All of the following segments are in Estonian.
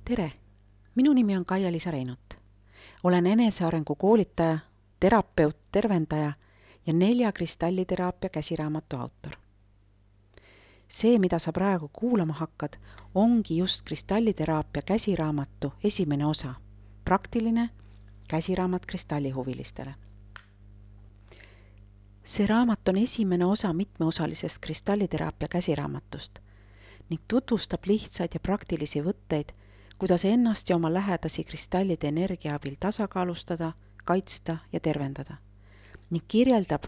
Tere! Minu nimi on Kaia-Liisa Reinut. Olen enesearengu koolitaja, terapeut, tervendaja ja 4 kristalliteraapia käsiraamatu autor. See, mida sa praegu kuulama hakkad, ongi just kristalliteraapia käsiraamatu esimene osa, praktiline käsiraamat kristallihuvilistele. See raamat on esimene osa mitmeosalisest kristalliteraapia käsiraamatust ning tutvustab lihtsaid ja praktilisi võtteid, kuidas ennast ja oma lähedasi kristallide energia abil tasakaalustada, kaitsta ja tervendada ning kirjeldab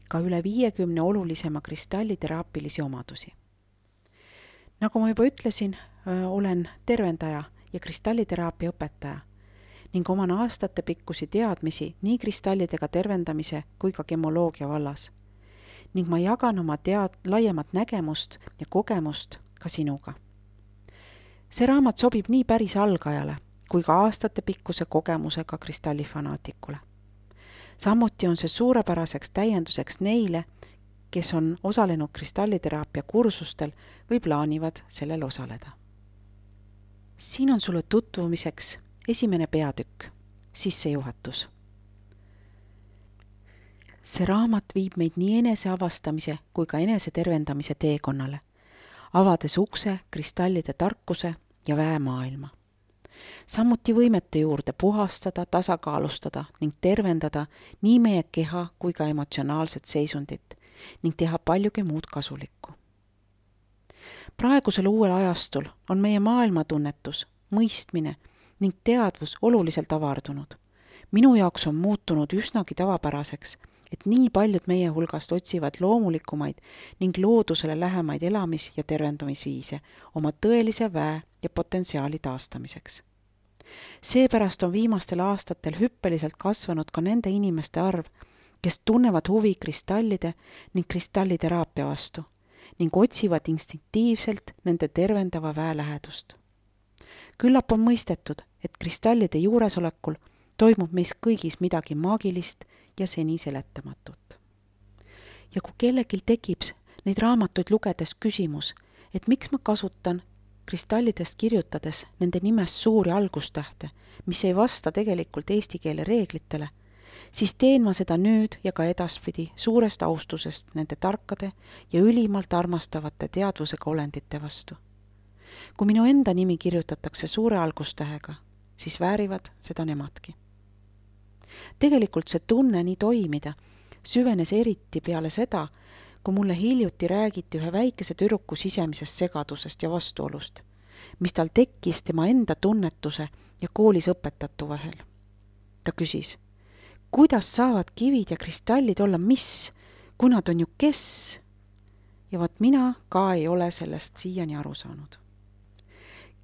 ka üle 50 olulisema kristalliteraapilisi omadusi. Nagu ma juba ütlesin, olen tervendaja ja kristalliteraapia õpetaja ning oman aastate pikkusi teadmisi nii kristallidega tervendamise kui ka gemoloogia vallas. Ning ma jagan oma laiemat nägemust ja kogemust ka sinuga. See raamat sobib nii päris algajale kui ka aastate pikkuse kogemusega kristallifanaatikule. Samuti on see suurepäraseks täienduseks neile, kes on osalenud kristalliteraapia kursustel või plaanivad sellel osaleda. Siin on sulle tutvumiseks esimene peatükk, sissejuhatus. See raamat viib meid nii eneseavastamise kui ka enesetervendamise teekonnale, avades ukse kristallide tarkuse ja väemaailma. Samuti võimete juurde puhastada, tasakaalustada ning tervendada nii meie keha kui ka emotsionaalset seisundit ning teha paljugi muud kasulikku. Praegusel uuel ajastul on meie maailmatunnetus, mõistmine ning teadvus oluliselt avardunud. Minu jaoks on muutunud üsnagi tavapäraseks, et nii paljud meie hulgast otsivad loomulikumaid ning loodusele lähemaid elamis- ja tervendumisviise oma tõelise väe ja potentsiaali taastamiseks. Seepärast on viimastel aastatel hüppeliselt kasvanud ka nende inimeste arv, kes tunnevad huvi kristallide ning kristalliteraapia vastu ning otsivad instinktiivselt nende tervendava väe lähedust. Küllap on mõistetud, et kristallide juuresolekul toimub meis kõigis midagi maagilist ja seni seletamatut. Ja kui kellelgi tekib neid raamatuid lugedes küsimus, et miks ma kasutan kristallidest kirjutades nende nimest suuri algustähte, mis ei vasta tegelikult eesti keele reeglitele, siis teen ma seda nüüd ja ka edaspidi suurest austusest nende tarkade ja ülimalt armastavate teadvusega olendite vastu. Kui minu enda nimi kirjutatakse suure algustähega, siis väärivad seda nemadki. Tegelikult see tunne nii toimida süvenes eriti peale seda, kui mulle hiljuti räägiti ühe väikese tüdruku sisemisest segadusest ja vastuolust, mis tal tekkis tema enda tunnetuse ja koolis õpetatu vahel. Ta küsis, kuidas saavad kivid ja kristallid olla mis, kui nad on ju kes? Ja vaat mina ka ei ole sellest siiani aru saanud.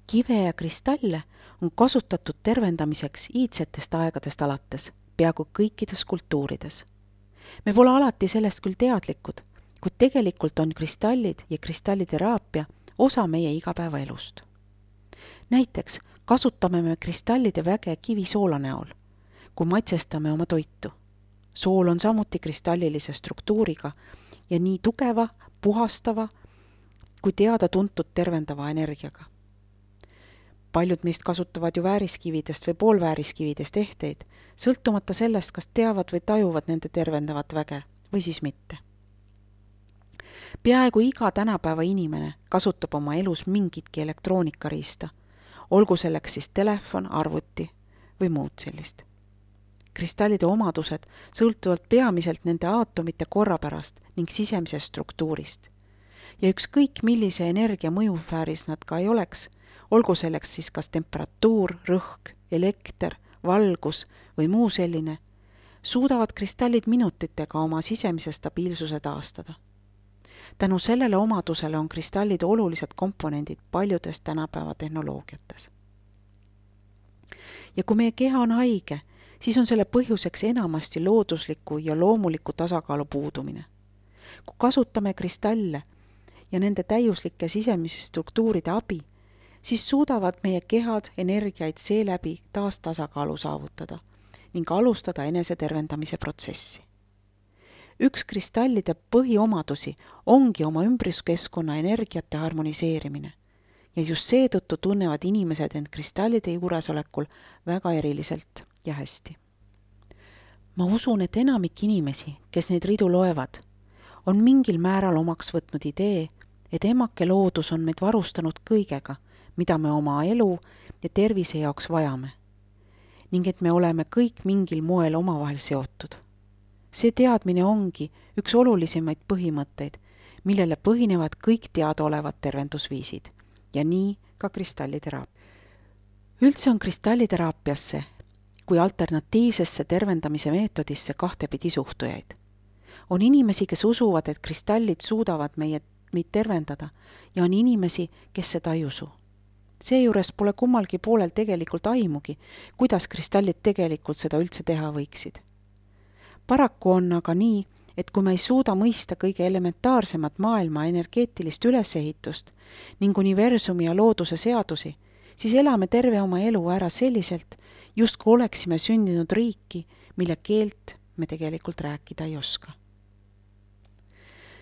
Kive ja kristalle on kasutatud tervendamiseks iidsetest aegadest alates, peaaegu kõikides kultuurides. Me pole alati sellest küll teadlikud, kuid tegelikult on kristallid ja kristalliteraapia osa meie igapäevaelust. Näiteks kasutame me kristallide väge kivisoola näol, kui maitsestame oma toitu. Sool on samuti kristallilise struktuuriga ja nii tugeva, puhastava kui teada-tuntud tervendava energiaga. Paljud meist kasutavad ju vääriskividest või poolvääriskividest ehteid, sõltumata sellest, kas teavad või tajuvad nende tervendavat väge või siis mitte. Peaaegu iga tänapäeva inimene kasutab oma elus mingitki elektroonikariista, olgu selleks siis telefon, arvuti või muud sellist. Kristallide omadused sõltuvad peamiselt nende aatomite korrapärast ning sisemisest struktuurist. Ja ükskõik millise energia mõjusfääris nad ka ei oleks, olgu selleks siis kas temperatuur, rõhk, elekter, valgus või muu selline, suudavad kristallid minutitega oma sisemise stabiilsuse taastada. Tänu sellele omadusele on kristallid olulised komponendid paljudes tänapäeva tehnoloogiates. Ja kui meie keha on haige, siis on selle põhjuseks enamasti loodusliku ja loomuliku tasakaalu puudumine. Kui kasutame kristalle ja nende täiuslike sisemise struktuuride abi, siis suudavad meie kehad energiaid seeläbi taas tasakaalu saavutada ning alustada enesetervendamise protsessi. Üks kristallide põhiomadusi ongi oma ümbruskeskkonna energiate harmoniseerimine ja just seetõttu tunnevad inimesed end kristallide juuresolekul väga eriliselt ja hästi. Ma usun, et enamik inimesi, kes neid ridu loevad, on mingil määral omaks võtnud idee, et emake loodus on meid varustanud kõigega, mida me oma elu ja tervise jaoks vajame, ning et me oleme kõik mingil moel omavahel seotud. See teadmine ongi üks olulisemaid põhimõtteid, millele põhinevad kõik teadaolevad tervendusviisid ja nii ka kristalliteraapia. Üldse on kristalliteraapiasse kui alternatiivsesse tervendamise meetodisse kahtepidi suhtujaid. On inimesi, kes usuvad, et kristallid suudavad meid tervendada ja on inimesi, kes seda ei usu. Seejuures pole kummalgi poolel tegelikult aimugi, kuidas kristallid tegelikult seda üldse teha võiksid. Paraku on aga nii, et kui me ei suuda mõista kõige elementaarsemat maailma energeetilist ülesehitust ning universumi ja looduse seadusi, siis elame terve oma elu ära selliselt, justkui oleksime sündinud riiki, mille keelt me tegelikult rääkida ei oska.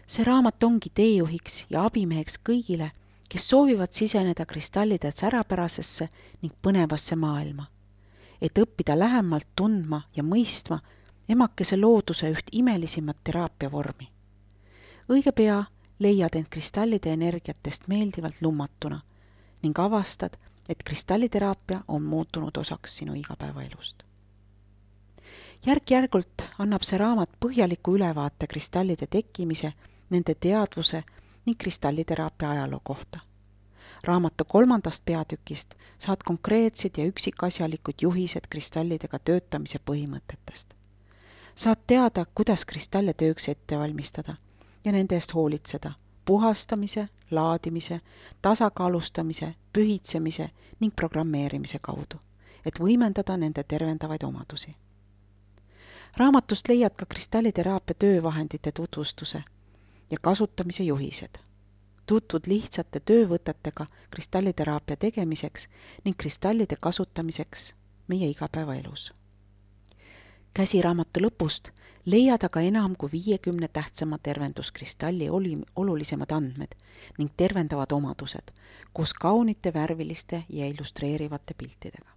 See raamat ongi teejuhiks ja abimeheks kõigile, kes soovivad siseneda kristallide särapärasesse ning põnevasse maailma, et õppida lähemalt tundma ja mõistma emakese looduse üht imelisimat teraapiavormi. Õige pea leiad end kristallide energiatest meeldivalt lummatuna ning avastad, et kristalliteraapia on muutunud osaks sinu igapäevaelust. Järk-järgult annab see raamat põhjaliku ülevaate kristallide tekkimise, nende teadvuse ning kristalliteraapia ajaloo kohta. Raamatu 3. peatükist saad konkreetsed ja üksikasjalikud juhised kristallidega töötamise põhimõtetest. Saad teada, kuidas kristalle tööks ette valmistada ja nende eest hoolitseda, puhastamise, laadimise, tasakaalustamise, pühitsemise ning programmeerimise kaudu, et võimendada nende tervendavaid omadusi. Raamatust leiad ka kristalliteraapia töövahendite tutvustuse ja kasutamise juhised. Tutvud lihtsate töövõtetega kristalliteraapia tegemiseks ning kristallide kasutamiseks meie igapäevaelus. Käsiraamatu lõpust leiad aga enam kui 50 tähtsama tervenduskristalli olulisemad andmed ning tervendavad omadused, koos kaunite värviliste ja illustreerivate piltidega.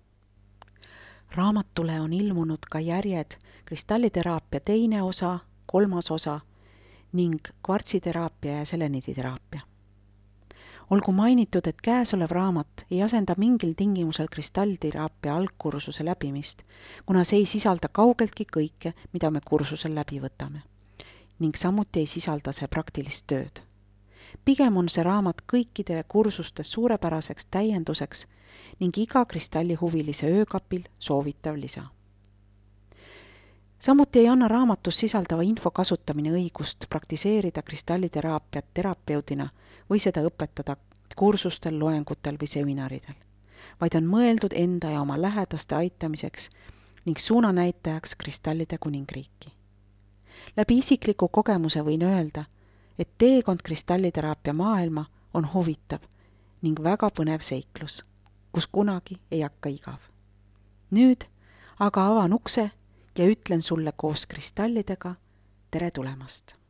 Raamatule on ilmunud ka järjed kristalliteraapia 2. osa, 3. osa ning kvartsiteraapia ja seleniditeraapia. Olgu mainitud, et käesolev raamat ei asenda mingil tingimusel kristalliteraapia algkursuse läbimist, kuna see ei sisalda kaugeltki kõike, mida me kursusel läbi võtame, ning samuti ei sisalda see praktilist tööd. Pigem on see raamat kõikidele kursustes suurepäraseks täienduseks ning iga kristallihuvilise öökapil soovitav lisa. Samuti ei anna raamatus sisaldava info kasutamine õigust praktiseerida kristalliteraapiat terapeudina või seda õpetada kursustel, loengutel või seminaridel, vaid on mõeldud enda ja oma lähedaste aitamiseks ning suunanäitajaks kristallide kuningriiki. Läbi isikliku kogemuse võin öelda, et teekond kristalliteraapia maailma on huvitav ning väga põnev seiklus, kus kunagi ei hakka igav. Nüüd aga avan ukse ja ütlen sulle koos kristallidega tere tulemast!